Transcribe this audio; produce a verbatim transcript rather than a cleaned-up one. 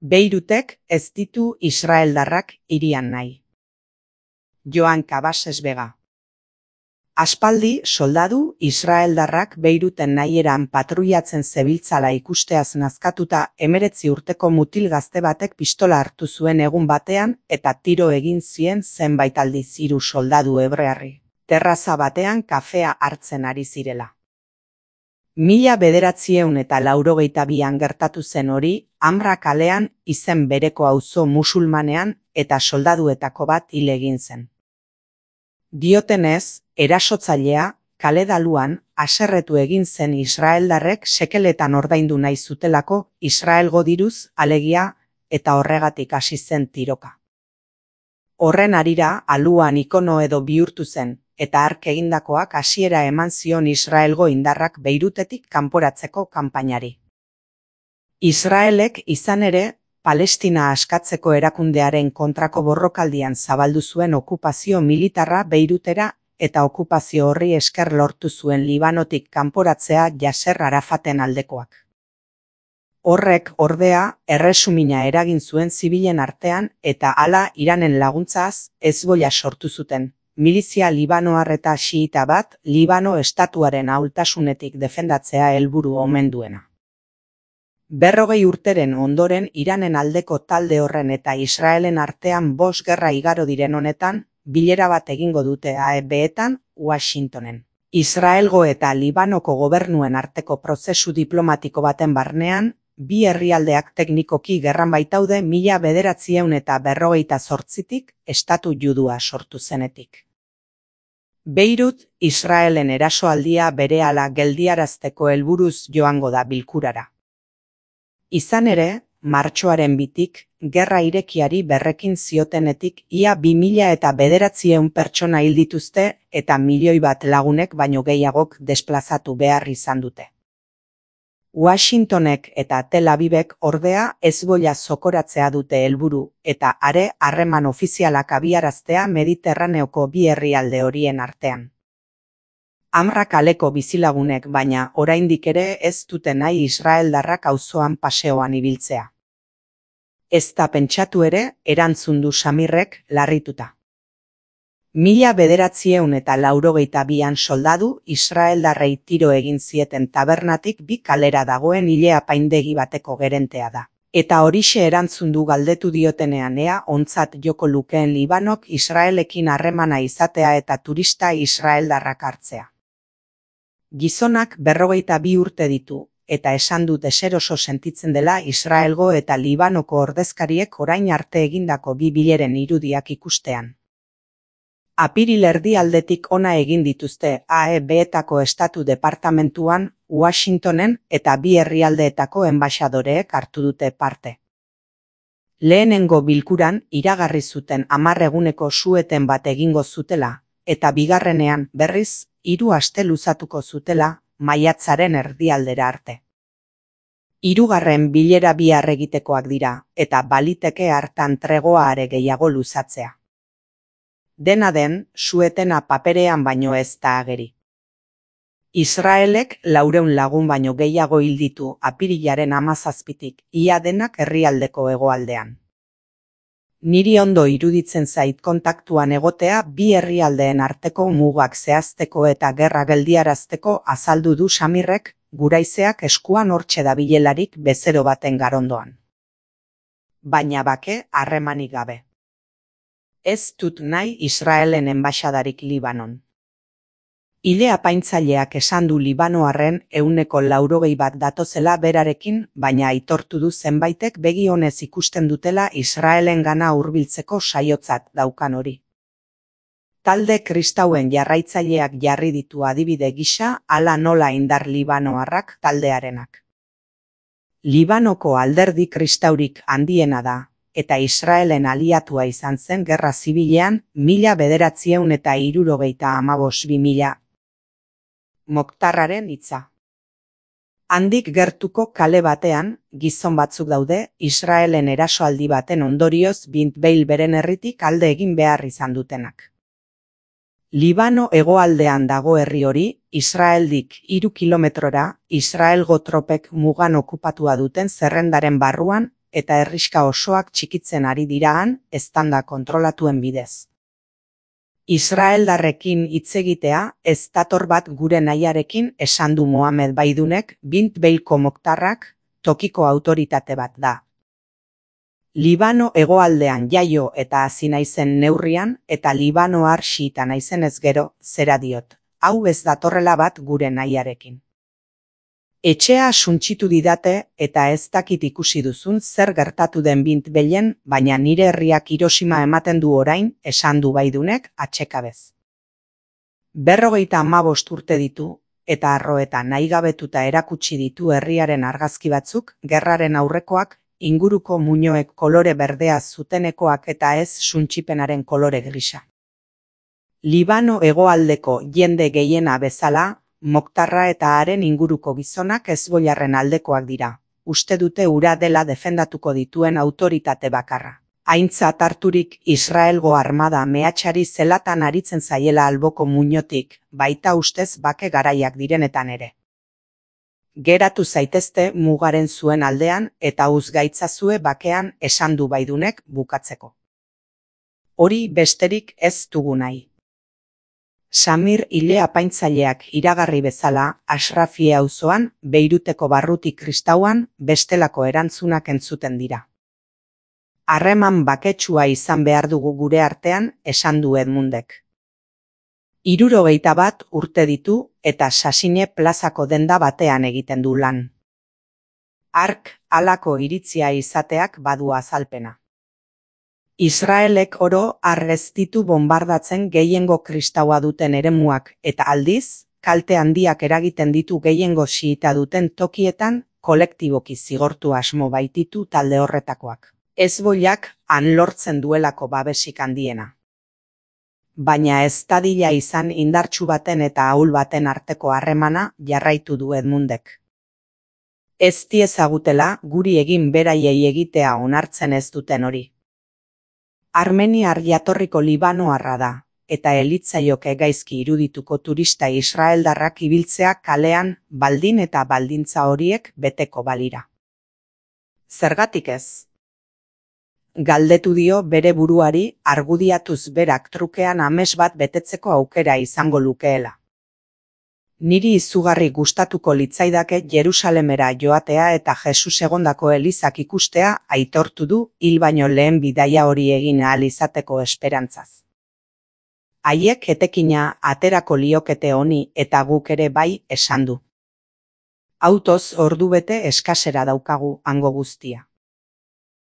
Beirutek ez ditu israeldarrak hirian nahi. Joan Cabases Vega. Aspaldi soldadu israeldarrak Beiruten nahieran patruiatzen zebiltzala ikusteaz nazkatuta hemeretzi urteko mutil gazte batek pistola hartu zuen egun batean eta tiro egin zien zenbait aldiz hiru soldadu hebrearri, terraza batean kafea hartzen ari zirela. Mila bederatziehun eta laurogeita bian gertatu zen hori, Amra kalean izen bereko auzo musulmanean eta soldaduetako bat hil egin zen. Diotenez, erasotzailea, kale daluan, haserretu egin zen israeldarrek sekeletan ordaindu nahi zutelako Israelgo diruz alegia eta horregatik hasi zen tiroka. Horren harira aluan ikono edo bihurtu zen, eta hark egindakoak hasiera eman zion Israelgo indarrak Beirutetik kanporatzeko kanpainari. Israelek izan ere, Palestina askatzeko erakundearen kontrako borrokaldian zabaldu zuen okupazio militarra Beirutera eta okupazio horri esker lortu zuen Libanotik kanporatzea Yasser Arafaten aldekoak. Horrek, ordea, erresumina eragin zuen zibilen artean eta hala Iranen laguntzaz Hezbollah sortu zuten, milizia libanoar eta xiita bat Libano estatuaren ahultasunetik defendatzea helburu omen duena. Berrogei urteren ondoren Iranen aldeko talde horren eta Israelen artean bost gerra igaro diren honetan, bilera bat egingo dute A E B-etan, Washingtonen. Israelgo eta Libanoko gobernuen arteko prozesu diplomatiko baten barnean, bi herrialdeak teknikoki gerran baitaude mila bederatziehun eta berrogeita zortzitik estatu judua sortu zenetik. Beirut, Israelen erasoaldia berehala geldiarazteko helburuz joango da bilkurara. Izan ere, martxoaren bitik, gerra irekiari berrekin ziotenetik ia bi mila eta bederatziehun pertsona hil dituzte eta milioi bat lagunek baino gehiagok desplazatu behar izan dute. Washingtonek eta Tel Avivek ordea Hezbollah zokoratzea dute helburu eta are harreman ofizialak abiaraztea Mediterraneoko bi herrialde horien artean. Amra kaleko bizilagunek baina oraindik ere ez dute nahi israeldarrak auzoan paseoan ibiltzea. Ez da pentsatu ere, erantzun du Samirrek larrituta. Mila bederatziehun eta laurogeita bian soldadu israeldarrei tiro egin zieten tabernatik bi kalera dagoen ile apaindegi bateko gerentea da. Eta horixe erantzun du galdetu diotenean ea ontzat joko lukeen Libanok Israelekin harremana izatea eta turista israeldarrak hartzea. Gizonak berrogeita bi urte ditu, eta esan dut deseroso sentitzen dela Israelgo eta Libanoko ordezkariek orain arte egindako bi bileren irudiak ikustean. Apiril erdialdetik ona egin dituzte A E B-etako estatu departamentuan, Washingtonen eta bi herrialdeetako enbaxadoreek hartu dute parte. Lehenengo bilkuran iragarri zuten hamar eguneko su-eten bat egingo zutela, eta bigarrenean, berriz, hiru aste luzatuko zutela, maiatzaren erdialdera arte. Hirugarren bilera bihar egitekoak dira, eta baliteke hartan tregoa are gehiago luzatzea. Dena den, su-etena paperean baino ez da ageri. Israelek laurehun lagun baino gehiago hil ditu apirilaren hamazazpitik, ia denak herrialdeko hegoaldean. Niri ondo iruditzen zait kontaktuan egotea bi herrialdeen arteko mugak zehazteko eta gerra geldiarazteko azaldu du Samirrek, guraizeak eskuan hortxe dabilelarik bezero baten garondoan. Baina bake harremanik gabe. Ez dut nahi Israelen enbaxadarik Libanon. Ile apaintzaileak esan du libanoarren ehuneko laurogei bat datozela berarekin, baina aitortu du zenbaitek begi onez ikusten dutela Israelen gana hurbiltzeko saiotzat daukan hori. Talde kristauen jarraitzaileak jarri ditu adibide gisa hala nola indar libanoarrak taldearenak. Libanoko alderdi kristaurik handiena da, eta Israelen aliatua izan zen gerra zibilean mila bederatziehun eta hirurogeita hamabost bi mila. Moktarraren hitza. Handik gertuko kale batean, gizon batzuk daude, Israelen erasoaldi baten ondorioz Bint Beil beren herritik alde egin behar izan dutenak. Libano hegoaldean dago herri hori, Israeldik hiru kilometrora, Israelgo tropek mugan okupatua duten zerrendaren barruan, eta herriska osoak txikitzen ari diraan, eztanda kontrolatuen bidez. Israeldarrekin hitz egitea ez dator bat gure nahiarekin, esan du Mohamed Baidunek, Bint Beilko Moktarrak, tokiko autoritate bat da. Libano hegoaldean jaio eta hazi naizen neurrian, eta Libanoar xiita naizenez gero, zera diot, hau ez datorrela bat gure nahiarekin. Etxea suntsitu didate eta ez dakit ikusi duzun zer gertatu den Bint Beilen, baina nire herriak Hiroshima ematen du orain, esan du Baidunek atsekabez. Berrogeita hamabost urte ditu, eta arroeta nahigabetuta erakutsi ditu herriaren argazki batzuk, gerraren aurrekoak, inguruko muinoek kolore berdea zutenekoak eta ez suntsipenaren kolore grisa. Libano hegoaldeko jende gehiena bezala, Moktarra eta haren inguruko gizonak hezbollarren aldekoak dira. Uste dute hura dela defendatuko dituen autoritate bakarra. Aintzat harturik Israelgo armada mehatxari zelatan aritzen zaiela alboko muinotik, baita ustez bake garaiak direnetan ere. Geratu zaitezte mugaren zuen aldean eta uzgaitzazue bakean, esan du Baidunek bukatzeko. Hori besterik ez dugu nahi. Samir ile apaintzaileak iragarri bezala, Ashrafi auzoan, Beiruteko barruti kristauan, bestelako erantzunak entzuten dira. Harreman baketsua izan behar dugu gure artean, esan du Edmundek. Hirurogeita bat urte ditu eta Sasine plazako denda batean egiten du lan. Hark halako iritzia izateak badu azalpena. Israelek oro har ez ditu bonbardatzen gehiengo kristaua duten eremuak eta aldiz, kalte handiak eragiten ditu gehiengo xiita duten tokietan, kolektiboki zigortu asmo baititu talde horretakoak. Hezbollak han lortzen duelako babesik handiena. Baina ez dadila izan indartsu baten eta ahul baten arteko harremana, jarraitu du Edmundek. Ez diezagutela guri egin beraiei egitea onartzen ez duten hori. Armeniar jatorriko Libanoarra da, eta elitzaioke gaizki irudituko turista israeldarrak ibiltzea kalean baldin eta baldintza horiek beteko balira. Zergatik ez? Galdetu dio bere buruari, argudiatuz berak trukean ames bat betetzeko aukera izango lukeela. Niri izugarri gustatuko litzaidake Jerusalemera joatea eta Jesus egondako elizak ikustea, aitortu du hil baino lehen bidaia hori egin ahal izateko esperantzaz. Haiek etekina aterako liokete honi eta guk ere bai, esan du. Autoz ordubete eskasera daukagu hango guztia.